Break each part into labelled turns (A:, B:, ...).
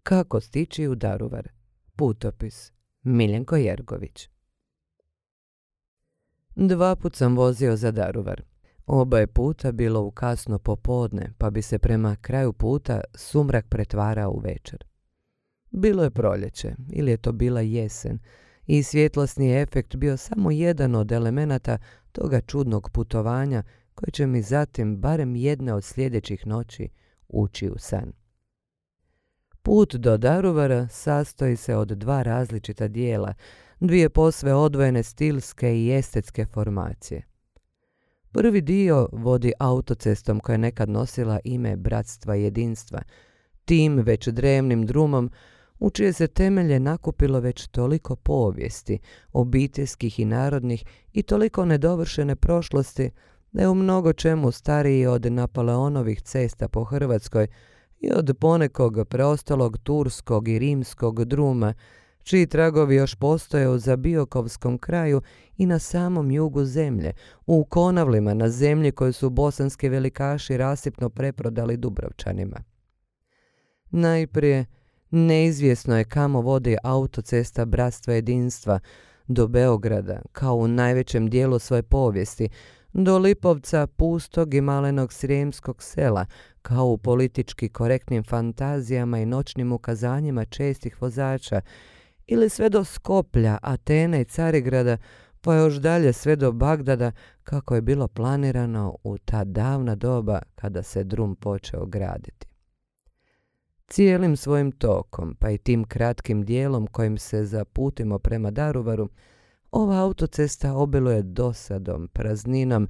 A: Kako stići u Daruvar? Putopis. Miljenko Jergović. 2 put sam vozio za Daruvar. Oba je puta bilo u kasno popodne, pa bi se prema kraju puta sumrak pretvarao u večer. Bilo je proljeće, ili je to bila jesen, i svjetlosni efekt bio samo jedan od elemenata toga čudnog putovanja koje će mi zatim, barem jedne od sljedećih noći, ući u san. Put do Daruvara sastoji se od 2 različita dijela, 2 posve odvojene stilske i estetske formacije. Prvi dio vodi autocestom koja je nekad nosila ime Bratstva i jedinstva, tim već drevnim drumom u čije se temelje nakupilo već toliko povijesti, obiteljskih i narodnih, i toliko nedovršene prošlosti, da je u mnogo čemu stariji od Napoleonovih cesta po Hrvatskoj i od ponekog preostalog turskog i rimskog druma, čiji tragovi još postoje u Zabiokovskom kraju i na samom jugu zemlje, u Konavlima, na zemlji koju su bosanski velikaši rasipno preprodali Dubrovčanima. Najprije, neizvjesno je kamo vodi autocesta Bratstva jedinstva do Beograda, kao u najvećem dijelu svoje povijesti, do Lipovca, pustog i malenog srijemskog sela, kao u politički korektnim fantazijama i noćnim ukazanjima čestih vozača, ili sve do Skoplja, Atene i Carigrada, pa još dalje sve do Bagdada, kako je bilo planirano u ta davna doba kada se drum počeo graditi. Cijelim svojim tokom, pa i tim kratkim dijelom kojim se zaputimo prema Daruvaru, ova autocesta obiluje dosadom, prazninom,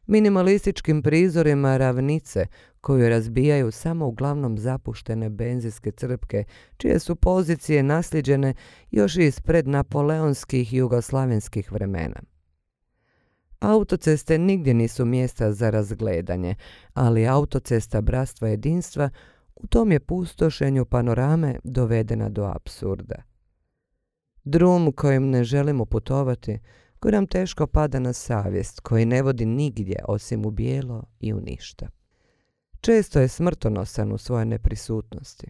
A: minimalističkim prizorima ravnice koju razbijaju samo uglavnom zapuštene benzinske crpke, čije su pozicije nasljeđene još iz prednapoleonskih i jugoslavenskih vremena. Autoceste nigdje nisu mjesta za razgledanje, ali autocesta Bratstva jedinstva u tom je pustošenju panorame dovedena do apsurda. Drum kojim ne želimo putovati, koji nam teško pada na savjest, koji ne vodi nigdje osim u bijelo i u ništa. Često je smrtonosan u svojoj neprisutnosti.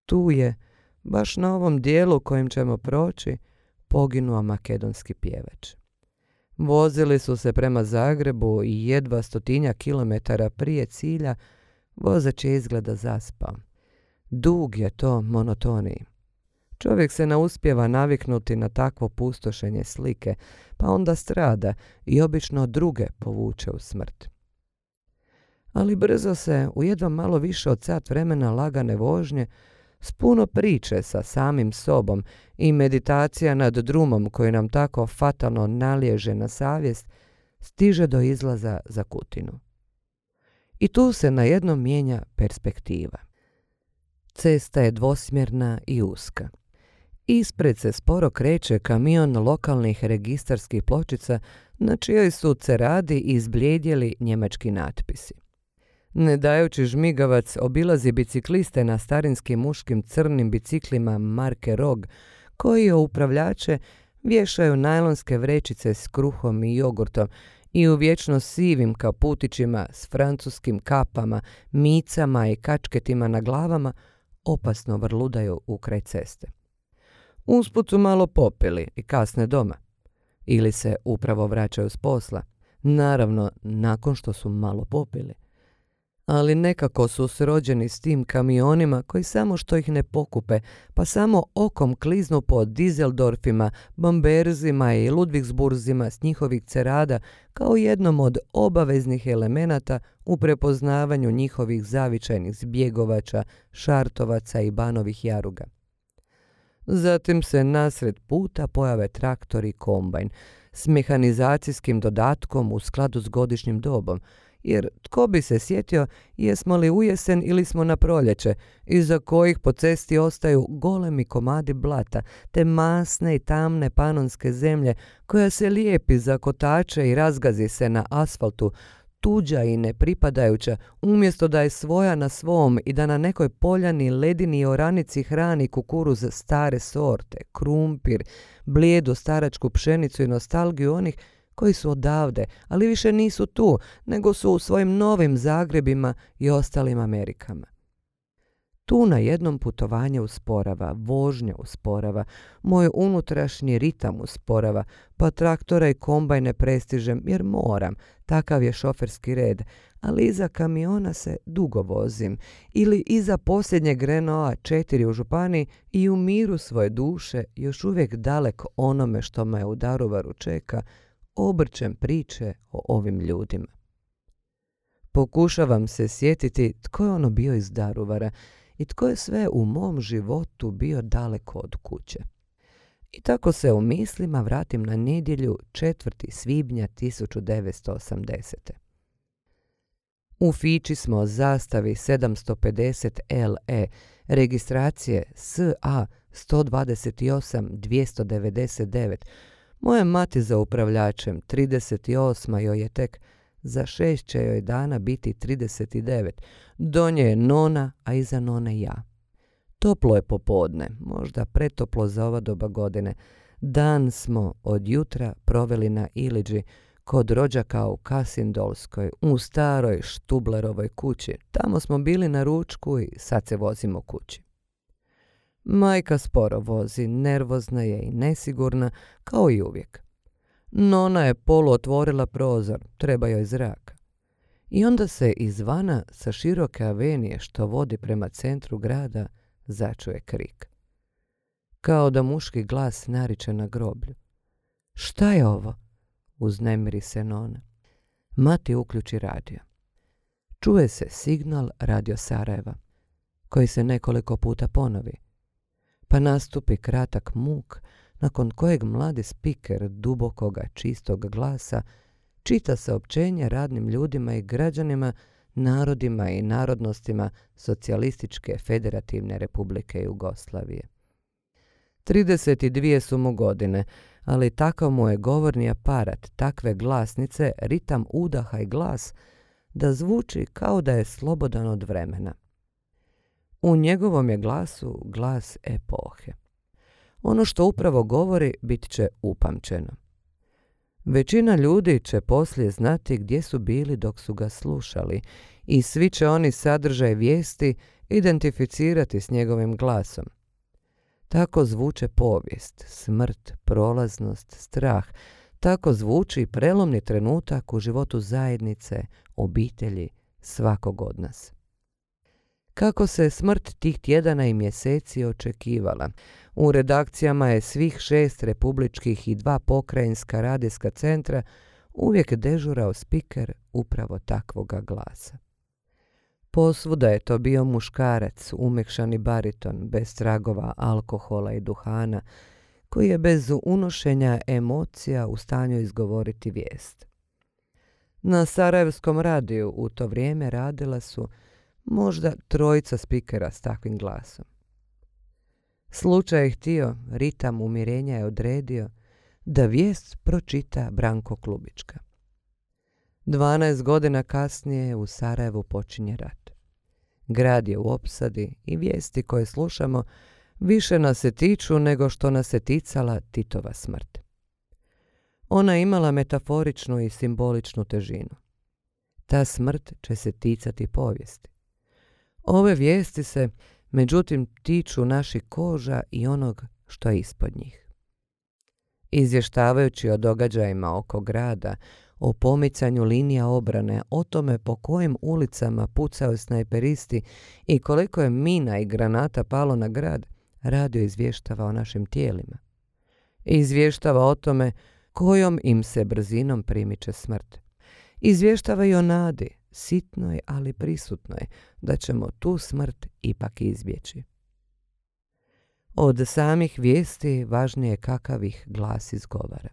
A: Tu je, baš na ovom dijelu kojim ćemo proći, poginuo makedonski pjevač. Vozili su se prema Zagrebu i jedva 100 kilometara prije cilja vozač je izgleda zaspao. Dug je to monotoniji. Čovjek se ne uspijeva naviknuti na takvo pustošenje slike, pa onda strada i obično druge povuče u smrt. Ali brzo se, u jedva malo više od sat vremena lagane vožnje, s puno priče sa samim sobom i meditacija nad drumom koji nam tako fatalno naliježe na savjest, stiže do izlaza za Kutinu. I tu se najednom mijenja perspektiva. Cesta je dvosmjerna i uska. Ispred se sporo kreće kamion lokalnih registarskih pločica na čijoj su ceradi izblijedjeli njemački natpisi. Ne dajući žmigavac obilazi bicikliste na starinskim muškim crnim biciklima marke Rog, koji o upravljače vješaju najlonske vrećice s kruhom i jogurtom i u vječno sivim kaputićima s francuskim kapama, micama i kačketima na glavama opasno vrludaju ukraj ceste. Usput su malo popili i kasne doma. Ili se upravo vraćaju s posla. Naravno, nakon što su malo popili. Ali nekako su srođeni s tim kamionima koji samo što ih ne pokupe, pa samo okom kliznu po Dizeldorfima, Bamberzima i Ludvigsburzima s njihovih cerada kao jednom od obaveznih elemenata u prepoznavanju njihovih zavičajnih zbjegovača, šartovaca i banovih jaruga. Zatim se nasred puta pojave traktor i kombajn s mehanizacijskim dodatkom u skladu s godišnjim dobom, jer tko bi se sjetio jesmo li u jesen ili smo na proljeće, iza kojih po cesti ostaju golemi komadi blata, te masne i tamne panonske zemlje koja se lijepi za kotače i razgazi se na asfaltu, tuđa i nepripadajuća, umjesto da je svoja na svom i da na nekoj poljani, ledini i oranici hrani kukuruz stare sorte, krumpir, blijedu staračku pšenicu i nostalgiju onih koji su odavde, ali više nisu tu, nego su u svojim novim Zagrebima i ostalim Amerikama. Tu na jednom putovanje usporava, vožnja usporava, moj unutrašnji ritam usporava, pa traktora i kombajne prestižem jer moram, takav je šoferski red, ali iza kamiona se dugo vozim ili iza posljednjeg Renaulta 4 u županiji i u miru svoje duše, još uvijek dalek onome što me u Daruvaru čeka, obrćem priče o ovim ljudima. Pokušavam se sjetiti tko je ono bio iz Daruvara i tko je sve u mom životu bio daleko od kuće. I tako se u mislima vratim na nedjelju 4. svibnja 1980. U Fići smo zastavi 750 LE, registracije SA 128 299. Moja mati za upravljačem, 38. joj je tek, za 6 će joj dana biti 39. Do nje je nona, a iza none ja. Toplo je popodne, možda pretoplo za ova doba godine. Dan smo od jutra proveli na Iliđi, kod rođaka u Kasindolskoj, u staroj Štublerovoj kući. Tamo smo bili na ručku i sad se vozimo kući. Majka sporo vozi, nervozna je i nesigurna, kao i uvijek. Nona je polu otvorila prozor, treba joj zraka. I onda se izvana sa široke avenije što vodi prema centru grada začuje krik. Kao da muški glas nariče na groblju. Šta je ovo? Uznemiri se Nona. Mati uključi radio. Čuje se signal Radio Sarajeva, koji se nekoliko puta ponovi. Pa nastupi kratak muk, nakon kojeg mladi spiker dubokoga čistog glasa čita saopćenje radnim ljudima i građanima, narodima i narodnostima Socijalističke federativne republike Jugoslavije. 32 su mu godine, ali takav mu je govorni aparat, takve glasnice, ritam udaha i glas, da zvuči kao da je slobodan od vremena. U njegovom je glasu glas epohe. Ono što upravo govori bit će upamćeno. Većina ljudi će poslije znati gdje su bili dok su ga slušali i svi će oni sadržaj vijesti identificirati s njegovim glasom. Tako zvuče povijest, smrt, prolaznost, strah. Tako zvuči prelomni trenutak u životu zajednice, obitelji, svakog od nas. Kako se smrt tih tjedana i mjeseci očekivala, u redakcijama je svih 6 republičkih i 2 pokrajinska radijska centra uvijek dežurao spiker upravo takvoga glasa. Posvuda je to bio muškarac, umekšani bariton, bez tragova alkohola i duhana, koji je bez unošenja emocija u stanju izgovoriti vijest. Na Sarajevskom radiju u to vrijeme radila su možda 3 spikera s takvim glasom. Slučaj je htio, ritam umirenja je odredio, da vijest pročita Branko Klubička. 12 godina kasnije u Sarajevu počinje rat. Grad je u opsadi i vijesti koje slušamo više nas se tiču nego što nas se ticala Titova smrt. Ona je imala metaforičnu i simboličnu težinu. Ta smrt će se ticati povijesti. Ove vijesti se, međutim, tiču naših koža i onog što je ispod njih. Izvještavajući o događajima oko grada, o pomicanju linija obrane, o tome po kojim ulicama pucaju snajperisti i koliko je mina i granata palo na grad, radio izvještava o našim tijelima. Izvještava o tome kojom im se brzinom primiče smrt. Izvještava i o nadi, sitnoj ali prisutnoj, da ćemo tu smrt ipak izbjeći. Od samih vijesti važnije je kakav ih glas izgovara.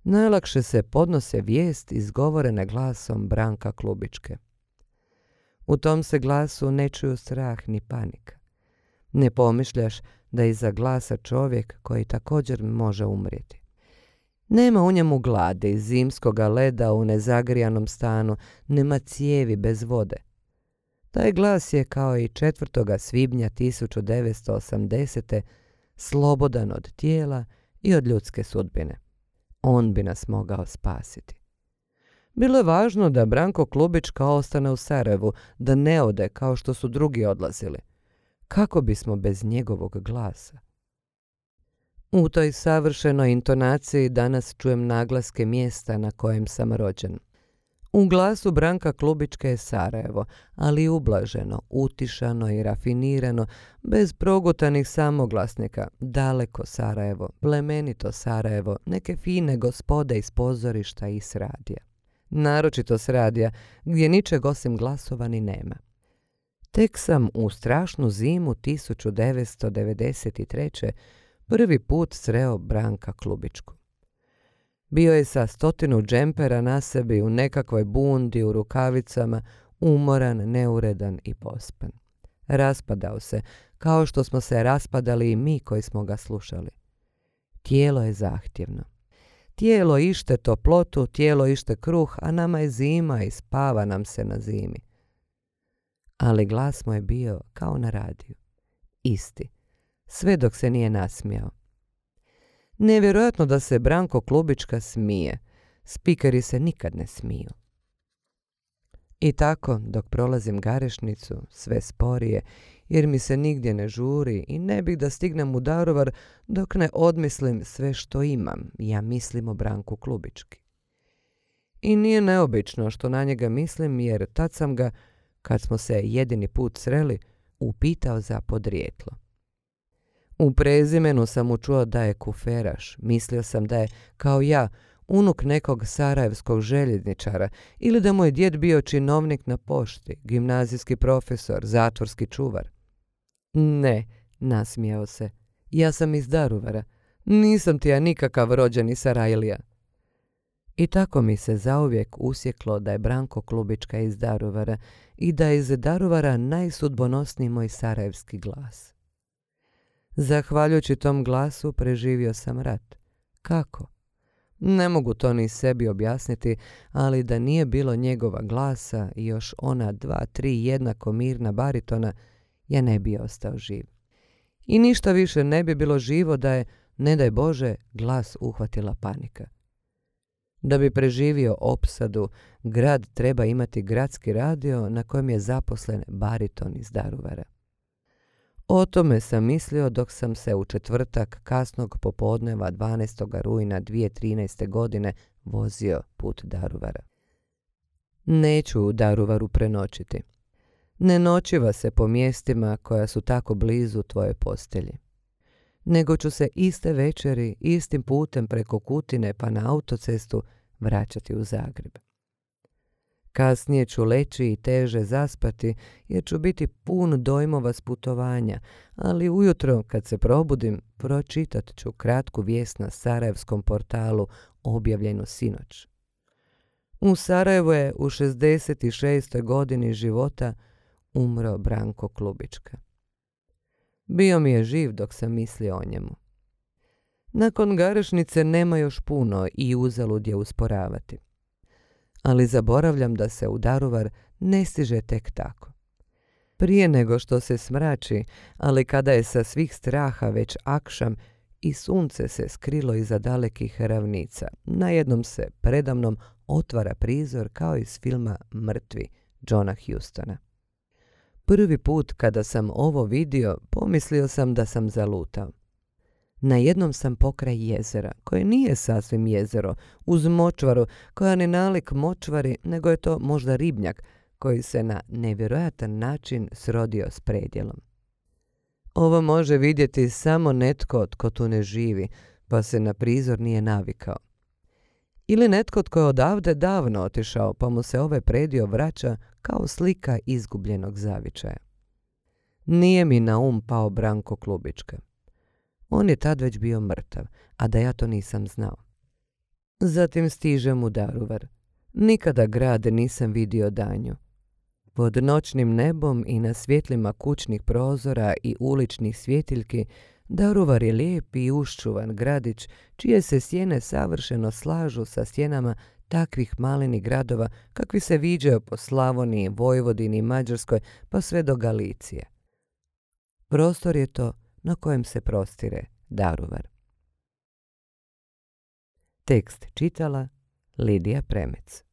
A: Najlakše se podnose vijest izgovorene glasom Branka Klubičke. U tom se glasu ne čuju strah ni panika. Ne pomišljaš da iza glasa čovjek koji također može umrijeti. Nema u njemu gladi, zimskoga leda u nezagrijanom stanu, nema cijevi bez vode. Taj glas je kao i 4. svibnja 1980. slobodan od tijela i od ljudske sudbine. On bi nas mogao spasiti. Bilo je važno da Branko Klubička ostane u Sarajevu, da ne ode kao što su drugi odlazili. Kako bismo bez njegovog glasa? U toj savršenoj intonaciji danas čujem naglaske mjesta na kojem sam rođen. U glasu Branka Klubička je Sarajevo, ali ublaženo, utišano i rafinirano, bez progutanih samoglasnika, daleko Sarajevo, plemenito Sarajevo, neke fine gospode iz pozorišta i s radija. Naročito s radija, gdje ničeg osim glasova ni nema. Tek sam u strašnu zimu 1993. prvi put sreo Branka Klubičku. Bio je sa 100 džempera na sebi u nekakvoj bundi u rukavicama, umoran, neuredan i pospan. Raspadao se, kao što smo se raspadali i mi koji smo ga slušali. Tijelo je zahtjevno. Tijelo ište toplotu, tijelo ište kruh, a nama je zima i spava nam se na zimi. Ali glas mu je bio kao na radiju. Isti. Sve dok se nije nasmijao. Nevjerojatno da se Branko Klubička smije. Spikeri se nikad ne smiju. I tako, dok prolazim Garešnicu, sve sporije, jer mi se nigdje ne žuri i ne bih da stignem u Daruvar dok ne odmislim sve što imam, ja mislim o Branku Klubički. I nije neobično što na njega mislim, jer tad sam ga, kad smo se jedini put sreli, upitao za podrijetlo. U prezimenu sam mu čuo da je kuferaš, mislio sam da je, kao ja, unuk nekog sarajevskog željezničara ili da mu je djed bio činovnik na pošti, gimnazijski profesor, zatvorski čuvar. Ne, nasmijao se, ja sam iz Daruvara, nisam ti ja nikakav rođeni Sarajlija. I tako mi se zauvijek usjeklo da je Branko Klubička iz Daruvara i da je iz Daruvara najsudbonosniji moj sarajevski glas. Zahvaljujući tom glasu preživio sam rat. Kako? Ne mogu to ni sebi objasniti, ali da nije bilo njegova glasa i još ona 2-3 jednako mirna baritona, ja ne bi ostao živ. I ništa više ne bi bilo živo da je, ne daj Bože, glas uhvatila panika. Da bi preživio opsadu, grad treba imati gradski radio na kojem je zaposlen bariton iz Daruvara. O tome sam mislio dok sam se u četvrtak kasnog popodneva 12. rujna 2013. godine vozio put Daruvara. Neću u Daruvaru prenoćiti. Ne noćiva se po mjestima koja su tako blizu tvoje postelji. Nego ću se iste večeri, istim putem preko Kutine pa na autocestu vraćati u Zagreb. Kasnije ću leći i teže zaspati jer ću biti pun dojmova s putovanja, ali ujutro kad se probudim pročitat ću kratku vijest na sarajevskom portalu objavljenu sinoć. U Sarajevu je u 66. godini života umro Branko Klubička. Bio mi je živ dok sam mislio o njemu. Nakon Garešnice nema još puno i uzalud je usporavati. Ali zaboravljam da se u Daruvar ne stiže tek tako. Prije nego što se smrači, ali kada je sa svih straha već akšam i sunce se skrilo iza dalekih ravnica, najednom se predamnom otvara prizor kao iz filma Mrtvi Johna Hustona. Prvi put kada sam ovo vidio, pomislio sam da sam zalutao. Najednom sam pokraj jezera, koje nije sasvim jezero, uz močvaru, koja ne nalik močvari, nego je to možda ribnjak, koji se na nevjerojatan način srodio s predjelom. Ovo može vidjeti samo netko tko tu ne živi, pa se na prizor nije navikao. Ili netko tko je odavde davno otišao, pa mu se ovaj predio vraća kao slika izgubljenog zavičaja. Nije mi na pao Branko Klubička. On je tad već bio mrtav, a da ja to nisam znao. Zatim stižem u Daruvar. Nikada grad nisam vidio danju. Pod noćnim nebom i na svjetlima kućnih prozora i uličnih svjetiljki, Daruvar je lijep i uščuvan gradić, čije se sjene savršeno slažu sa sjenama takvih malenih gradova kakvi se viđaju po Slavoniji, Vojvodini i Mađarskoj pa sve do Galicije. Prostor je to na kojem se prostire Daruvar. Tekst čitala Lidija Premec.